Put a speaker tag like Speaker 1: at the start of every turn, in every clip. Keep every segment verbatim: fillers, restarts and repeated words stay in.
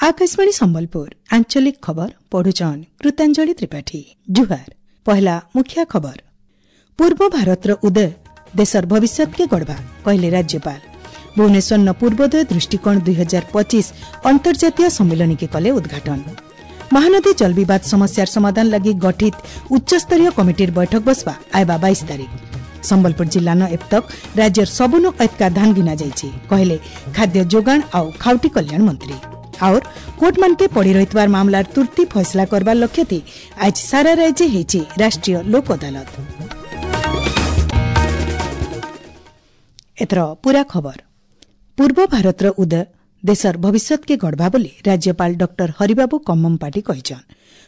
Speaker 1: ଆକାଶବାଣୀ ସମ୍ବଲପୁର ଆଞ୍ଚଳିକ ଖବର ପଢୁଛନ୍ କୃତାଞ୍ଜଳି ତ୍ରିପାଠୀ। ଜୁହାର। ପହଲା ମୁଖ୍ୟ ଖବର। ପୂର୍ବ ଭାରତର ଉଦୟ ଦେଶର ଭବିଷ୍ୟତକେ ଗଢ଼ବା କହିଲେ ରାଜ୍ୟପାଳ। ଭୁବନେଶ୍ୱର ପୂର୍ବୋଦୟ ଦୃଷ୍ଟିକୋଣ ଦୁଇ ହଜାର ପଚିଶ ଅନ୍ତର୍ଜାତୀୟ ସମ୍ମିଳନୀକେ କଲେ ଉଦ୍ଘାଟନ। ମହାନଦୀ ଜଳବିବାଦ ସମସ୍ୟାର ସମାଧାନ ଲାଗି ଗଠିତ ଉଚ୍ଚସ୍ତରୀୟ କମିଟିର ବୈଠକ ବସବା ଆଇବା ବାଇଶ ତାରିଖ। ସମ୍ବଲପୁର ଜିଲ୍ଲାନ ଏବତକ ରାଜ୍ୟର ସବୁନୁ ଏତକା ଧାନ ଗିନା ଯାଇଛି କହିଲେ ଖାଦ୍ୟ ଯୋଗାଣ ଆଉ ଖାଉଟି କଲ୍ୟାଣ ମନ୍ତ୍ରୀ। और କୋର୍ଟମାନକେ ପଡ଼ି ରହିଥିବାର ମାମଲାର ତୁର୍ତ୍ତି ଫଇସଲା କରବାର ଲକ୍ଷ୍ୟଥି ଆଜ ସାରା ରାଜ୍ୟ ହେଇଛି ରାଷ୍ଟ୍ରୀୟ ଲୋକ ଅଦାଲତ। ଏଥର ପୂରା ଖବର। ପୂର୍ବ ଭାରତର ଉଦୟ ଦେଶର ଭବିଷ୍ୟତକେ ଗଢ଼ବା ବୋଲି ରାଜ୍ୟପାଳ ଡକ୍ଟର ହରିବାବୁ କମ୍ମମପାଟି କହିଛନ୍।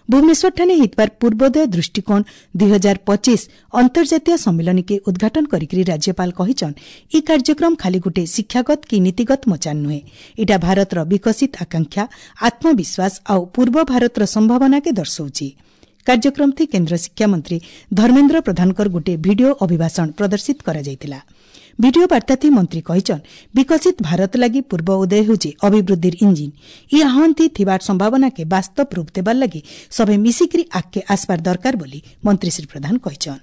Speaker 1: ଭୁବନେଶ୍ୱରଠାନେ ହେଇଥିବାର ପୂର୍ବୋଦୟ ଦୃଷ୍ଟିକୋଣ ଦୁଇ ହଜାର ପଚିଶ ଅନ୍ତର୍ଜାତୀୟ ସମ୍ମିଳନୀକେ ଉଦ୍ଘାଟନ କରିକି ରାଜ୍ୟପାଳ କହିଛନ୍, ଇ କାର୍ଯ୍ୟକ୍ରମ ଖାଲି ଗୁଟେ ଶିକ୍ଷାଗତ କି ନୀତିଗତ ମଚାନ ନୁହେଁ, ଇଟା ଭାରତର ବିକଶିତ ଆକାଂକ୍ଷା, ଆତ୍ମବିଶ୍ୱାସ ଆଉ ପୂର୍ବ ଭାରତର ସମ୍ଭାବନାକେ ଦର୍ଶାଉଛି। କାର୍ଯ୍ୟକ୍ରମଥି କେନ୍ଦ୍ର ଶିକ୍ଷାମନ୍ତ୍ରୀ ଧର୍ମେନ୍ଦ୍ର ପ୍ରଧାନଙ୍କର ଗୋଟିଏ ଭିଡିଓ ଅଭିଭାଷଣ ପ୍ରଦର୍ଶିତ କରାଯାଇଥିଲା। ଭିଡିଓ ବାର୍ତ୍ତାଥି ମନ୍ତ୍ରୀ କହିଛନ୍, ବିକଶିତ ଭାରତ ଲାଗି ପୂର୍ବ ଉଦୟ ହେଉଛି ଅଭିବୃଦ୍ଧିର ଇଞ୍ଜିନ୍। ଇ ଆହ୍ୱାନଥି ଥିବାର ସମ୍ଭାବନାକେ ବାସ୍ତବ ରୂପ ଦେବାର ଲାଗି ସଭେ ମିଶିକିରି ଆଗକେ ଆସବାର ଦରକାର ବୋଲି ମନ୍ତ୍ରୀ ଶ୍ରୀ ପ୍ରଧାନ କହିଛନ୍।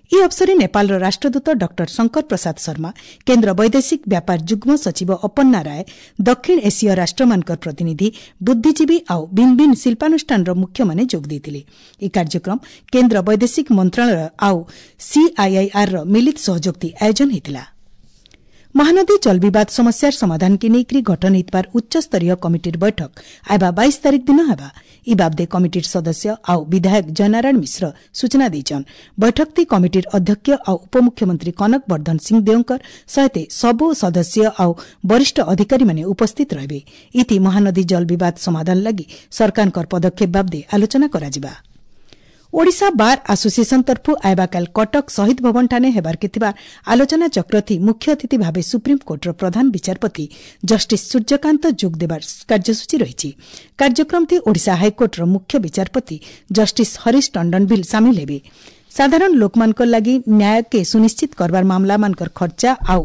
Speaker 1: ଇ ଅବସରେ ନେପାଳର ରାଷ୍ଟ୍ରଦୂତ ଡକ୍ଟର ଶଙ୍କର ପ୍ରସାଦ ଶର୍ମା, କେନ୍ଦ୍ର ବୈଦେଶିକ ବ୍ୟାପାର ଯୁଗ୍ମ ସଚିବ ଅପନ୍ନା ରାୟ, ଦକ୍ଷିଣ ଏସୀୟ ରାଷ୍ଟ୍ରମାନଙ୍କର ପ୍ରତିନିଧି, ବୁଦ୍ଧିଜୀବୀ ଆଉ ଭିନ୍ନ ଭିନ୍ନ ଶିଳ୍ପାନୁଷ୍ଠାନର ମୁଖ୍ୟମାନେ ଯୋଗ ଦେଇଥିଲେ। ଏହି କାର୍ଯ୍ୟକ୍ରମ କେନ୍ଦ୍ର ବୈଦେଶିକ ମନ୍ତ୍ରଣାଳୟ ଆଉ ସିଆଇଆଇଆର୍ର ମିଳିତ ସହଯୋଗଥି ଆୟୋଜନ ହୋଇଥିଲା। ମହାନଦୀ ଜଳବିବାଦ ସମସ୍ୟାର ସମାଧାନକେ ନେଇକରି ଗଠନ ହୋଇଥିବାର ଉଚ୍ଚସ୍ତରୀୟ କମିଟିର ବୈଠକ ଆଇବା ବାଇଶ ତାରିଖ ଦିନ ହେବା। ଇ ବାବଦେ କମିଟିର ସଦସ୍ୟ ଆଉ ବିଧାୟକ ଜୟନାରାୟଣ ମିଶ୍ର ସୂଚନା ଦେଇଛନ୍। ବୈଠକଥି କମିଟିର ଅଧ୍ୟକ୍ଷ ଆଉ ଉପମୁଖ୍ୟମନ୍ତ୍ରୀ କନକ ବର୍ଦ୍ଧନ ସିଂଦେଓଙ୍କର ସହିତ ସବୁ ସଦସ୍ୟ ଆଉ ବରିଷ୍ଠ ଅଧିକାରୀମାନେ ଉପସ୍ଥିତ ରହିବେ। ଇଥି ମହାନଦୀ ଜଳବିବାଦ ସମାଧାନ ଲାଗି ସରକାରଙ୍କର ପଦକ୍ଷେପ ବାବଦେ ଆଲୋଚନା କରାଯିବା। ଓଡ଼ିଶା ବାର୍ ଆସୋସିଏସନ ତରଫରୁ ଆଇବାକାଲ କଟକ ଶହୀଦ ଭବନଠାନେ ହେବାର୍କେ ଥିବା ଆଲୋଚନା ଚକ୍ରଥି ମୁଖ୍ୟ ଅତିଥି ଭାବେ ସୁପ୍ରିମକୋର୍ଟର ପ୍ରଧାନ ବିଚାରପତି ଜଷ୍ଟିସ୍ ସୂର୍ଯ୍ୟକାନ୍ତ ଯୋଗ ଦେବାର କାର୍ଯ୍ୟସୂଚୀ ରହିଛି। କାର୍ଯ୍ୟକ୍ରମଥି ଓଡ଼ିଶା ହାଇକୋର୍ଟର ମୁଖ୍ୟ ବିଚାରପତି ଜଷ୍ଟିସ୍ ହରିଶ ଟଣ୍ଡନ ଭିଲ୍ ସାମିଲ ହେବେ। ସାଧାରଣ ଲୋକମାନଙ୍କ ଲାଗି ନ୍ୟାୟକେ ସୁନିଶ୍ଚିତ କରବାର ମାମଲାମାନଙ୍କର ଖର୍ଚ୍ଚା ଆଉ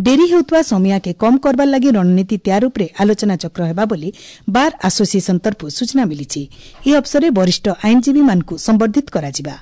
Speaker 1: ଡେରି ହେଉଥିବା ସମୟାକେ କମ୍ କରବାର ଲାଗି ରଣନୀତି ତିଆର ଉପରେ ଆଲୋଚନା ଚକ୍ର ହେବା ବୋଲି ବାର୍ ଆସୋସିଏସନ ତରଫରୁ ସୂଚନା ମିଳିଛି। ଏହି ଅବସରରେ ବରିଷ୍ଠ ଆଇନଜୀବୀମାନଙ୍କୁ ସମ୍ବର୍ଦ୍ଧିତ କରାଯିବା।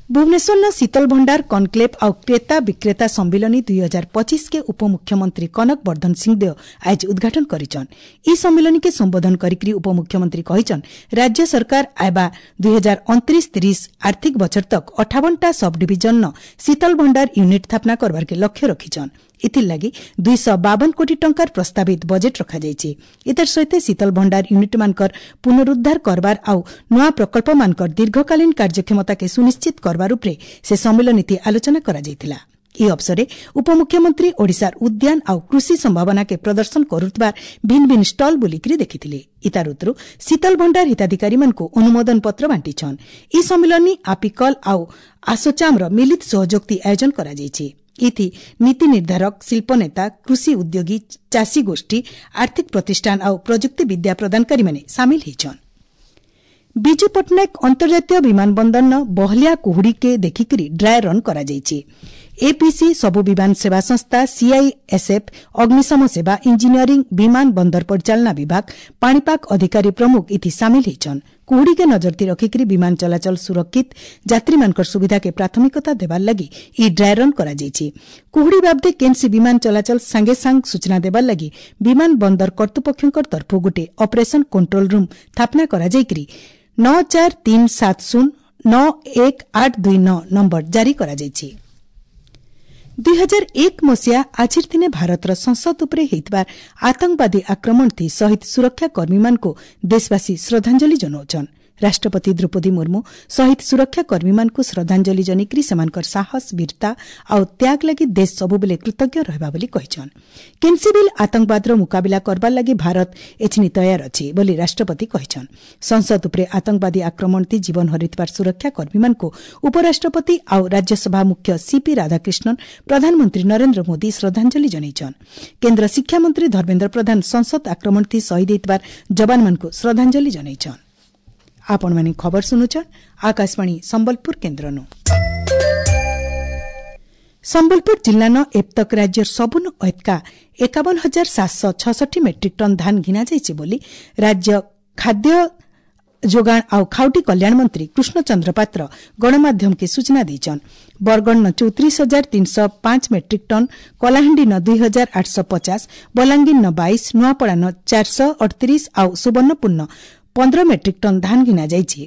Speaker 1: ଭୁବନେଶ୍ୱରର ଶୀତଲ ଭଣ୍ଡାର କନକ୍ଲେଭ୍ ଆଉ କ୍ରେତା ବିକ୍ରେତା ସମ୍ମିଳନୀ ଦୁଇ ହଜାର ପଚିଶକେ ଉପମୁଖ୍ୟମନ୍ତ୍ରୀ କନକ ବର୍ଦ୍ଧନ ସିଂଦେଓ ଆଜି ଉଦ୍ଘାଟନ କରିଛନ୍। ଇ ସମ୍ମିଳନୀକେ ସମ୍ବୋଧନ କରିକି ଉପମୁଖ୍ୟମନ୍ତ୍ରୀ କହିଛନ୍, ରାଜ୍ୟ ସରକାର ଆଇବା ଦୁଇ ହଜାର ଅଣତିରିଶ ତିରିଶ ଆର୍ଥିକ ବଛର ତକ ଅଠାବନଟା ସବ୍ ଡିଭିଜନର ଶୀତଲ ଭଣ୍ଡାର ୟୁନିଟ୍ ସ୍ଥାପନା କରବାରକେ ଲକ୍ଷ୍ୟ ରଖିଛନ୍। ଏଥିର୍ଲାଗି ଦୁଇଶହ ବାବନ କୋଟି ଟଙ୍କାର ପ୍ରସ୍ତାବିତ ବଜେଟ୍ ରଖାଯାଇଛି। ଏତର ସହିତ ଶୀତଲ ଭଣ୍ଡାର ୟୁନିଟ୍ମାନଙ୍କର ପୁନରୁଦ୍ଧାର କରବାର ଆଉ ନୂଆ ପ୍ରକଳ୍ପମାନଙ୍କର ଦୀର୍ଘକାଳୀନ କାର୍ଯ୍ୟକ୍ଷମତାକେ ସୁନିଶ୍ଚିତ କରବାର ଉପରେ ସେ ସମ୍ମିଳନୀଥି ଆଲୋଚନା କରାଯାଇଥିଲା। ଏହି ଅବସରରେ ଉପମୁଖ୍ୟମନ୍ତ୍ରୀ ଓଡ଼ିଶାର ଉଦ୍ୟାନ ଆଉ କୃଷି ସମ୍ଭାବନାକେ ପ୍ରଦର୍ଶନ କରୁଥିବା ଭିନ୍ନ ଭିନ୍ନ ଷ୍ଟଲ୍ ବୁଲିକରି ଦେଖିଥିଲେ। ଇତାର ଉତ୍ତରୁ ଶୀତଲ ଭଣ୍ଡାର ହିତାଧିକାରୀମାନଙ୍କୁ ଅନୁମୋଦନ ପତ୍ର ବାଣ୍ଟିଛନ୍। ଏହି ସମ୍ମିଳନୀ ଆପିକଲ୍ ଆଉ ଆସୋଚାମ୍ର ମିଳିତ ସହଯୋଗଥି ଆୟୋଜନ କରାଯାଇଛି। ଇଥି ନୀତି ନିର୍ଦ୍ଧାରକ, ଶିଳ୍ପନେତା, କୃଷି ଉଦ୍ୟୋଗୀ, ଚାଷୀ ଗୋଷ୍ଠୀ, ଆର୍ଥିକ ପ୍ରତିଷ୍ଠାନ ଆଉ ପ୍ରଯୁକ୍ତି ବିଦ୍ୟା ପ୍ରଦାନକାରୀମାନେ ସାମିଲ ହୋଇଛନ୍। ବିଜୁ ପଟ୍ଟନାୟକ ଅନ୍ତର୍ଜାତୀୟ ବିମାନ ବନ୍ଦରନ ବହଲିଆ କୁହୁଡ଼ିକେ ଦେଖିକରି ଡ୍ରାଏ ରନ୍ କରାଯାଇଛି। ଏପିସି, ସବୁ ବିମାନ ସେବା ସଂସ୍ଥା, ସିଆଇଏସ୍ଏଫ୍, ଅଗ୍ନିଶମ ସେବା, ଇଞ୍ଜିନିୟରିଂ, ବିମାନ ବନ୍ଦର ପରିଚାଳନା ବିଭାଗ, ପାଣିପାଗ ଅଧିକାରୀ ପ୍ରମୁଖ ଇଥି ସାମିଲ ହୋଇଛନ୍। କୁହୁଡ଼ିକେ ନଜରତି ରଖିକରି ବିମାନ ଚଳାଚଳ ସୁରକ୍ଷିତ, ଯାତ୍ରୀମାନଙ୍କର ସୁବିଧାକେ ପ୍ରାଥମିକତା ଦେବାର ଲାଗି ଇ ଡ୍ରାଏ ରନ୍ କରାଯାଇଛି। କୁହୁଡ଼ି ବାବଦେ କେନ୍ସି ବିମାନ ଚଳାଚଳ ସାଙ୍ଗେ ସାଙ୍ଗ ସୂଚନା ଦେବାର ଲାଗି ବିମାନ ବନ୍ଦର କର୍ତ୍ତୃପକ୍ଷଙ୍କ ତରଫରୁ ଗୋଟିଏ ଅପରେସନ କଣ୍ଟ୍ରୋଲ ରୁମ୍ ସ୍ଥାପନା କରାଯାଇକରି ନଅ ଚାରି ତିନି ସାତ ଶୂନ ନଅ ଏକ ଆଠ ଦୁଇ ନଅ ନମ୍ବର ଜାରି କରାଯାଇଛି। ଦୁଇ ହଜାର ଏକ ମସିହା ଆଜିର ଦିନେ ଭାରତର ସଂସଦ ଉପରେ ହୋଇଥିବା ଆତଙ୍କବାଦୀ ଆକ୍ରମଣଥି ଶହୀଦ ସୁରକ୍ଷା କର୍ମୀମାନଙ୍କୁ ଦେଶବାସୀ ଶ୍ରଦ୍ଧାଞ୍ଜଳି ଜଣାଉଛନ୍। ରାଷ୍ଟ୍ରପତି ଦ୍ରୌପଦୀ ମୁର୍ମୁ ଶହୀଦ ସୁରକ୍ଷା କର୍ମୀମାନଙ୍କୁ ଶ୍ରଦ୍ଧାଞ୍ଜଳି ଜଣାଇକରି ସେମାନଙ୍କର ସାହସ, ବୀରତା ଆଉ ତ୍ୟାଗ ଲାଗି ଦେଶ ସବୁବେଳେ କୃତଜ୍ଞ ରହିବା ବୋଲି କହିଛନ୍। କେନ୍ସି ବିଲ୍ ଆତଙ୍କବାଦର ମୁକାବିଲା କରବାର ଲାଗି ଭାରତ ଏଛିନି ତୟାର ଅଛି ବୋଲି ରାଷ୍ଟ୍ରପତି କହିଛନ୍। ସଂସଦ ଉପରେ ଆତଙ୍କବାଦୀ ଆକ୍ରମଣଥି ଜୀବନ ହରାଇଥିବାର ସୁରକ୍ଷା କର୍ମୀମାନଙ୍କୁ ଉପରାଷ୍ଟ୍ରପତି ଆଉ ରାଜ୍ୟସଭା ମୁଖ୍ୟ ସିପି ରାଧାକ୍ରିଷ୍ଣନ, ପ୍ରଧାନମନ୍ତ୍ରୀ ନରେନ୍ଦ୍ର ମୋଦି ଶ୍ରଦ୍ଧାଞ୍ଜଳି ଜଣାଇଛନ୍। କେନ୍ଦ୍ର ଶିକ୍ଷାମନ୍ତ୍ରୀ ଧର୍ମେନ୍ଦ୍ର ପ୍ରଧାନ ସଂସଦ ଆକ୍ରମଣଥି ଶହୀଦ ହୋଇଥିବାର ଯବାନମାନଙ୍କୁ ଶ୍ରଦ୍ଧାଞ୍ଜଳି ଜଣାଇଛନ୍। ଆପଣମାନେ ଖବର ଶୁଣୁଛନ୍ ଆକାଶବାଣୀ ସମ୍ବଲପୁର କେନ୍ଦ୍ରନୁ। ସମ୍ବଲପୁର ଜିଲ୍ଲାନ ଏବତକ ରାଜ୍ୟର ସବୁନୁ ଏତକା ଏକାବନ ହଜାର ସାତଶହ ଛଷଠି ମେଟ୍ରିକ୍ ଟନ୍ ଧାନ ଘିନାଯାଇଛି ବୋଲି ରାଜ୍ୟ ଖାଦ୍ୟ ଯୋଗାଣ ଆଉ ଖାଉଟି କଲ୍ୟାଣ ମନ୍ତ୍ରୀ କୃଷ୍ଣଚନ୍ଦ୍ର ପାତ୍ର ଗଣମାଧ୍ୟମକେ ସୂଚନା ଦେଇଛନ୍। ବରଗଡ଼ନ ଚଉତିରିଶ ହଜାର ତିନିଶହ ପାଞ୍ଚ ମେଟ୍ରିକ୍ ଟନ୍, କଳାହାଣ୍ଡିନ ଦୁଇ ହଜାର ଆଠଶହ ପଚାଶ, ବଲାଙ୍ଗୀରନ ବାଇଶ, ନୂଆପଡ଼ାନ ଚାରିଶହ ଅଠତିରିଶ ଆଉ ସୁବର୍ଣ୍ଣପୁରନ ପନ୍ଦର ମେଟ୍ରିକ୍ ଟନ୍ ଧାନ ଘିନାଯାଇଛି।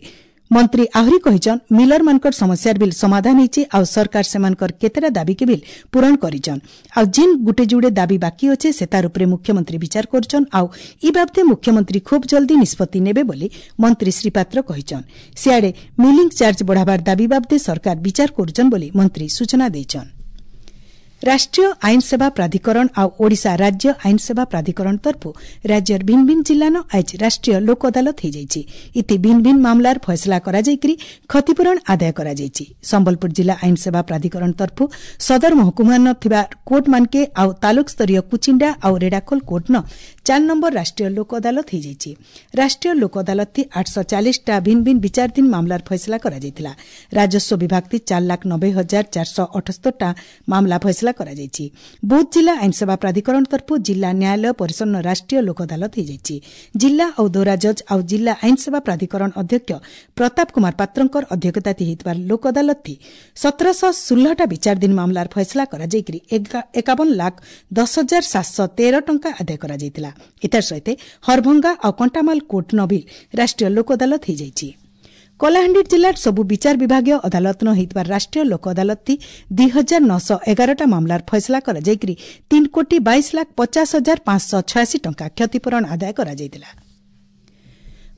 Speaker 1: ମନ୍ତ୍ରୀ ଆହୁରି କହିଛନ୍, ମିଲରମାନଙ୍କର ସମସ୍ୟାର ବିଲ୍ ସମାଧାନ ହେଇଛି ଆଉ ସରକାର ସେମାନଙ୍କର କେତେଟା ଦାବିକେ ବିଲ୍ ପୂରଣ କରିଛନ୍। ଆଉ ଜିନ୍ ଗୁଟେ ଯୁଡ଼େ ଦାବି ବାକି ଅଛେ ସେ ତାର ଉପରେ ମୁଖ୍ୟମନ୍ତ୍ରୀ ବିଚାର କରୁଛନ୍ ଆଉ ଇ ବାବଦେ ମୁଖ୍ୟମନ୍ତ୍ରୀ ଖୁବ୍ ଜଲ୍ଦି ନିଷ୍ପତ୍ତି ନେବେ ବୋଲି ମନ୍ତ୍ରୀ ଶ୍ରୀ ପାତ୍ର କହିଛନ୍। ସିଆଡ଼େ ମିଲିଂ ଚାର୍ଜ ବଢ଼ାବାର ଦାବି ବାବଦେ ସରକାର ବିଚାର କରୁଛନ୍ ବୋଲି ମନ୍ତ୍ରୀ ସୂଚନା ଦେଇଛନ୍। ରାଷ୍ଟ୍ରୀୟ ଆଇନ ସେବା ପ୍ରାଧିକରଣ ଆଉ ଓଡ଼ିଶା ରାଜ୍ୟ ଆଇନ ସେବା ପ୍ରାଧିକରଣ ତରଫୁ ରାଜ୍ୟର ଭିନ୍ନ ଭିନ୍ନ ଜିଲ୍ଲାନ ଆଜି ରାଷ୍ଟ୍ରୀୟ ଲୋକ ଅଦାଲତ ହୋଇଯାଇଛି। ଇତି ଭିନ୍ନ ଭିନ୍ନ ମାମଲାର ଫଇସଲା କରାଯାଇକରି କ୍ଷତିପୂରଣ ଆଦାୟ କରାଯାଇଛି। ସମ୍ବଲପୁର ଜିଲ୍ଲା ଆଇନ ସେବା ପ୍ରାଧିକରଣ ତରଫୁ ସଦର ମହକୁମାନ ଥିବା କୋର୍ଟମାନକେ ଆଉ ତାଲୁକ ସ୍ତରୀୟ କୁଚିଣ୍ଡା ଆଉ ରେଡ଼ାଖୋଲ କୋର୍ଟନ ଚାର ନମ୍ବର ରାଷ୍ଟ୍ରୀୟ ଲୋକ ଅଦାଲତ ହୋଇଯାଇଛି। ରାଷ୍ଟ୍ରୀୟ ଲୋକ ଅଦାଲତ ଆଠଶହ ଚାଳିଶଟା ଭିନ୍ନ ଭିନ୍ନ ବିଚାରାଧୀନ ମାମଲାର ଫଇସଲା କରାଯାଇଥିଲା। ରାଜସ୍ୱ ବିଭାଗ ଚାର ଲାଖ ନବେ ହଜାର ଚାରିଶହ ଅଠସ୍ତରଟା ମାମଲା ଫଇସଲା କରାଯାଇଛି। ବୌଦ୍ଧ ଜିଲ୍ଲା ଆଇନସେବା ପ୍ରାଧିକରଣ ତରଫରୁ ଜିଲ୍ଲା ନ୍ୟାୟାଳୟ ପରିସରର ରାଷ୍ଟ୍ରୀୟ ଲୋକ ଅଦାଲତ ହୋଇଯାଇଛି। ଜିଲ୍ଲା ଆଉ ଦୌରା ଜଜ୍ ଆଉ ଜିଲ୍ଲା ଆଇନସେବା ପ୍ରାଧିକରଣ ଅଧ୍ୟକ୍ଷ ପ୍ରତାପ କୁମାର ପାତ୍ରଙ୍କର ଅଧ୍ୟକ୍ଷତା ହୋଇଥିବା ଲୋକ ଅଦାଲତ ସତରଶହ ଷୋହଳଟା ବିଚାରାଧୀନ ମାମଲାର ଫଇସଲା କରାଯାଇକରି ଏକାବନ ଲାଖ ଦଶ ହଜାର ସାତଶହ ତେର ଟଙ୍କା ଆଦାୟ କରାଯାଇଥିଲା। ଏତାର ସହିତ ହରଭଙ୍ଗା ଆଉ କଣ୍ଟାମାଲ କୋର୍ଟ ନବିଲ ରାଷ୍ଟ୍ରୀୟ ଲୋକ ଅଦାଲତ ହୋଇଯାଇଛି। କଳାହାଣ୍ଡି ଜିଲ୍ଲାର ସବୁ ବିଚାର ବିଭାଗୀୟ ଅଦାଲତନ ହୋଇଥିବା ରାଷ୍ଟ୍ରୀୟ ଲୋକ ଅଦାଲତ ଦୁଇ ହଜାର ନଅଶହ ଏଗାରଟା ମାମଲାର ଫଇସଲା କରାଯାଇକରି ତିନି କୋଟି ବାଇଶ ଲାଖ ପଚାଶ ହଜାର ପାଞ୍ଚଶହ ଛୟାଅଶୀ ଟଙ୍କା କ୍ଷତିପୂରଣ ଆଦାୟ କରାଯାଇଥିଲା।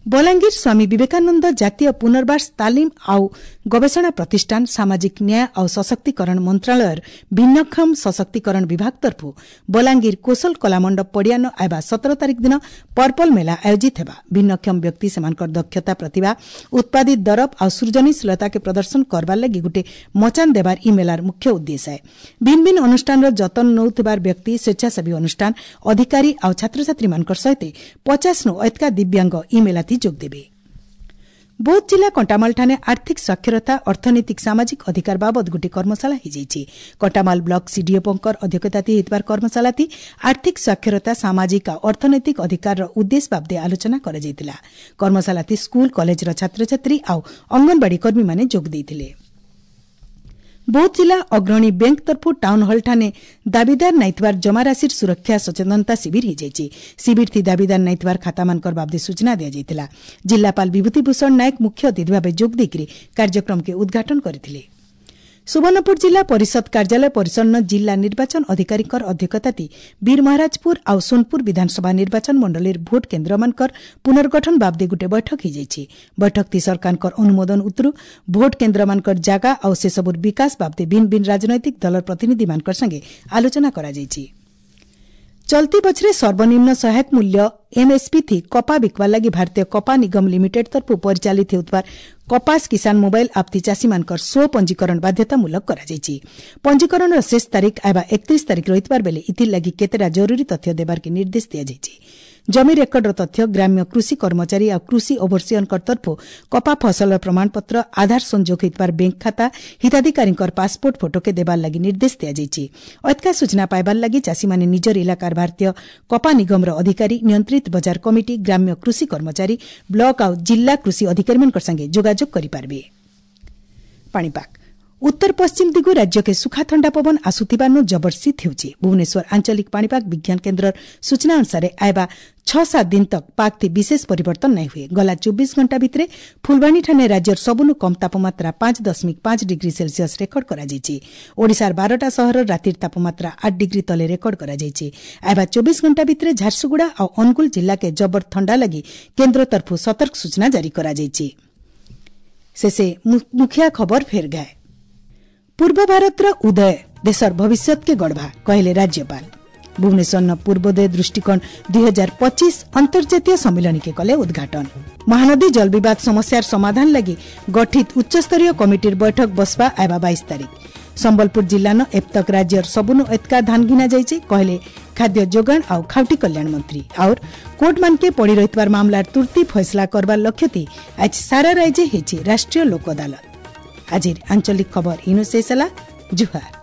Speaker 1: ବଲାଙ୍ଗୀର ସ୍ୱାମୀ ବିବେକାନନ୍ଦ ଜାତୀୟ ପୁନର୍ବାସ ତାଲିମ ଆଉ ଗବେଷଣା ପ୍ରତିଷ୍ଠାନ ସାମାଜିକ ନ୍ୟାୟ ଆଉ ସଶକ୍ତିକରଣ ମନ୍ତ୍ରଣାଳୟର ଭିନ୍ନକ୍ଷମ ସଶକ୍ତିକରଣ ବିଭାଗ ତରଫରୁ ବଲାଙ୍ଗୀର କୋଶଲ କଳାମଣ୍ଡପ ପଡ଼ିଆନ ଆଇବା ସତର ତାରିଖ ଦିନ ପର୍ପଲ ମେଳା ଆୟୋଜିତ ହେବା। ଭିନ୍ନକ୍ଷମ ବ୍ୟକ୍ତି ସେମାନଙ୍କର ଦକ୍ଷତା, ପ୍ରତିଭା, ଉତ୍ପାଦିତ ଦରବ ଆଉ ସୃଜନଶୀଳତାକେ ପ୍ରଦର୍ଶନ କରବାର ଲାଗି ଗୋଟିଏ ମଚାନ ଦେବାର ଇ ମେଳାର ମୁଖ୍ୟ ଉଦ୍ଦେଶ୍ୟ। ଭିନ୍ନ ଭିନ୍ନ ଅନୁଷ୍ଠାନର ଯତ୍ନ ନେଉଥିବାର ବ୍ୟକ୍ତି, ସ୍ୱେଚ୍ଛାସେବୀ ଅନୁଷ୍ଠାନ, ଅଧିକାରୀ ଆଉ ଛାତ୍ରଛାତ୍ରୀମାନଙ୍କର ସହିତ ପଚାଶନୁ ଏତକା ଦିବ୍ୟାଙ୍ଗ ଇ ମେଳାଥି ଯୋଗ ଦେବେ। ବୌଦ୍ଧ ଜିଲ୍ଲା କଣ୍ଟାମାଲଠାରେ ଆର୍ଥିକ ସାକ୍ଷରତା, ଅର୍ଥନୈତିକ ସାମାଜିକ ଅଧିକାର ବାବଦ ଗୋଟିଏ କର୍ମଶାଳା ହୋଇଯାଇଛି। କଣ୍ଟାମାଲ ବ୍ଲକ ସିଡିଓଙ୍କର ଅଧ୍ୟକ୍ଷତା ହୋଇଥିବା କର୍ମଶାଳାଟି ଆର୍ଥିକ ସାକ୍ଷରତା, ସାମାଜିକ ଆଉ ଅର୍ଥନୈତିକ ଅଧିକାରର ଉଦ୍ଦେଶ୍ୟ ବାବଦେ ଆଲୋଚନା କରାଯାଇଥିଲା। କର୍ମଶାଳାଟି ସ୍କୁଲ, କଲେଜର ଛାତ୍ରଛାତ୍ରୀ ଆଉ ଅଙ୍ଗନବାଡ଼ି କର୍ମୀମାନେ ଯୋଗ ଦେଇଥିଲେ। ବୌଦ୍ଧ ଜିଲ୍ଲା ଅଗ୍ରଣୀ ବ୍ୟାଙ୍କ ତରଫରୁ ଟାଉନ୍ ହଲ୍ଠାରେ ଦାବିଦାର ନାଇଥିବାର ଜମାରାଶିର ସୁରକ୍ଷା ସଚେତନତା ଶିବିର ହୋଇଯାଇଛି। ଶିବିରଥି ଦାବିଦାର ନାଇଥିବାର ଖାତାମାନଙ୍କର ବାବଦେ ସୂଚନା ଦିଆଯାଇଥିଲା। ଜିଲ୍ଲାପାଳ ବିଭୂତି ଭୂଷଣ ନାୟକ ମୁଖ୍ୟ ଅତିଥି ଭାବେ ଯୋଗ ଦେଇକରି କାର୍ଯ୍ୟକ୍ରମକୁ ଉଦ୍ଘାଟନ କରିଥିଲେ। ସୁବର୍ଣ୍ଣପୁର ଜିଲ୍ଲା ପରିଷଦ କାର୍ଯ୍ୟାଳୟ ପରିସରର ଜିଲ୍ଲା ନିର୍ବାଚନ ଅଧିକାରୀଙ୍କର ଅଧ୍ୟକ୍ଷତାତି ବୀରମହାରାଜପୁର ଆଉ ସୋନପୁର ବିଧାନସଭା ନିର୍ବାଚନ ମଣ୍ଡଳୀର ଭୋଟ କେନ୍ଦ୍ରମାନଙ୍କର ପୁନର୍ଗଠନ ବାବଦେ ଗୋଟିଏ ବୈଠକ ହୋଇଯାଇଛି। ବୈଠକଟି ସରକାରଙ୍କର ଅନୁମୋଦନ ଉତ୍ତରୁ ଭୋଟ କେନ୍ଦ୍ରମାନଙ୍କର ଜାଗା ଆଉ ସେସବୁର ବିକାଶ ବାବଦେ ଭିନ୍ନ ଭିନ୍ନ ରାଜନୈତିକ ଦଳର ପ୍ରତିନିଧିମାନଙ୍କର ସାଙ୍ଗେ ଆଲୋଚନା କରାଯାଇଛି। ଚଲତି ବଛରେ ସର୍ବନିମ୍ନ ସହାୟକ ମୂଲ୍ୟ ଏମ୍ଏସ୍ପି ଥି କପା ବିକବାର ଲାଗି ଭାରତୀୟ କପା ନିଗମ ଲିମିଟେଡ୍ ତରଫରୁ ପରିଚାଳିତ ହେଉଥିବା କପାସ କିଷାନ ମୋବାଇଲ ଆପ୍ତି ଚାଷୀମାନଙ୍କର ସ୍ୱ ପଞ୍ଜୀକରଣ ବାଧ୍ୟତାମୂଳକ କରାଯାଇଛି। ପଞ୍ଜୀକରଣର ଶେଷ ତାରିଖ ଆଇବା ଏକତିରିଶ ତାରିଖ ରହିଥିବାର ବେଳେ ଏଥିଲାଗି କେତେଟା ଜରୁରୀ ତଥ୍ୟ ଦେବାର୍କେ ନିର୍ଦ୍ଦେଶ ଦିଆଯାଇଛି। ଜମି ରେକର୍ଡର ତଥ୍ୟ, ଗ୍ରାମ୍ୟ କୃଷି କର୍ମଚାରୀ ଆଉ କୃଷି ଓଭରସିୟରଙ୍କ ତରଫରୁ କପା ଫସଲର ପ୍ରମାଣପତ୍ର, ଆଧାର ସଂଯୋଗ ହୋଇଥିବାର ବ୍ୟାଙ୍କ ଖାତା, ହିତାଧିକାରୀଙ୍କର ପାସପୋର୍ଟ ଫଟୋକେ ଦେବାର ଲାଗି ନିର୍ଦ୍ଦେଶ ଦିଆଯାଇଛି। ଅତକା ସୂଚନା ପାଇବାର ଲାଗି ଚାଷୀମାନେ ନିଜର ଇଲାକାର ଭାରତୀୟ କପା ନିଗମର ଅଧିକାରୀ, ନିୟନ୍ତ୍ରିତ ବଜାର କମିଟି, ଗ୍ରାମ୍ୟ କୃଷି କର୍ମଚାରୀ, ବ୍ଲକ ଆଉ ଜିଲ୍ଲା କୃଷି ଅଧିକାରୀମାନଙ୍କ ସାଙ୍ଗେ ଯୋଗାଯୋଗ କରିପାରିବେ। ପାଣିପାଗ ଉତ୍ତର ପଶ୍ଚିମ ଦିଗୁ ରାଜ୍ୟକେ ସୁଖା ଥଣ୍ଡା ପବନ ଆସୁଥିବାରୁ ଜବର ଶୀତ ହେଉଛି। ଭୁବନେଶ୍ୱର ଆଞ୍ଚଳିକ ପାଣିପାଗ ବିଜ୍ଞାନ କେନ୍ଦ୍ରର ସୂଚନା ଅନୁସାରେ ଆଇବା ଛଅ ସାତ ଦିନ ତକ ପାଗଥି ବିଶେଷ ପରିବର୍ତ୍ତନ ନାଇଁ ହୁଏ। ଗଲା ଚବିଶ ଘଣ୍ଟା ଭିତରେ ଫୁଲବାଣୀଠାରେ ରାଜ୍ୟର ସବୁନୁ କମ୍ ତାପମାତ୍ରା ପାଞ୍ଚ ଦଶମିକ ପାଞ୍ଚ ଡିଗ୍ରୀ ସେଲସିୟସ୍ ରେକର୍ଡ କରାଯାଇଛି। ଓଡ଼ିଶାର ବାରଟା ସହରର ରାତିର ତାପମାତ୍ରା ଆଠ ଡିଗ୍ରୀ ତଲେ ରେକର୍ଡ କରାଯାଇଛି। ଆଇବା ଚବିଶ ଘଣ୍ଟା ଭିତରେ ଝାରସୁଗୁଡ଼ା ଆଉ ଅନୁଗୁଳ ଜିଲ୍ଲାକେ ଜବର ଥଣ୍ଡା ଲାଗି କେନ୍ଦ୍ର ତରଫରୁ ସତର୍କ ସୂଚନା ଜାରି କରାଯାଇଛି। ଶେଷେ ମୁଖିଆ ଖବର ଫେର ଗାଏ। ପୂର୍ବ ଭାରତର ଉଦୟ ଦେଶର ଭବିଷ୍ୟତକେ ଗଢ଼ବା କହିଲେ ରାଜ୍ୟପାଳ। ଭୁବନେଶ୍ୱର ପୂର୍ବୋଦୟ ଦୃଷ୍ଟିକୋଣ ଦୁଇ ହଜାର ପଚିଶ ଅନ୍ତର୍ଜାତୀୟ ସମ୍ମିଳନୀକେ କଲେ ଉଦ୍ଘାଟନ। ମହାନଦୀ ଜଳବିବାଦ ସମସ୍ୟାର ସମାଧାନ ଲାଗି ଗଠିତ ଉଚ୍ଚସ୍ତରୀୟ କମିଟିର ବୈଠକ ବସବା ଆଇବା ବାଇଶ ତାରିଖ। ସମ୍ବଲପୁର ଜିଲ୍ଲାନ ଏତକ ରାଜ୍ୟର ସବୁନୁ ଏତକା ଧାନ ଘିନା ଯାଇଛି କହିଲେ ଖାଦ୍ୟ ଯୋଗାଣ ଆଉ ଖାଉଟି କଲ୍ୟାଣ ମନ୍ତ୍ରୀ। ଆଉର କୋର୍ଟମାନକେ ପଡ଼ି ରହିଥିବାର ମାମଲାର ତୁର୍ତ୍ତି ଫଇସଲା କରବାର ଲକ୍ଷ୍ୟତି ଆଜି ସାରା ରାଜ୍ୟ ହେଇଛି ରାଷ୍ଟ୍ରୀୟ ଲୋକ ଅଦାଲତ। ଆଜିର ଆଞ୍ଚଳିକ ଖବର ଇନୁ ଶେଷ ହେଲା। ଜୁହାର।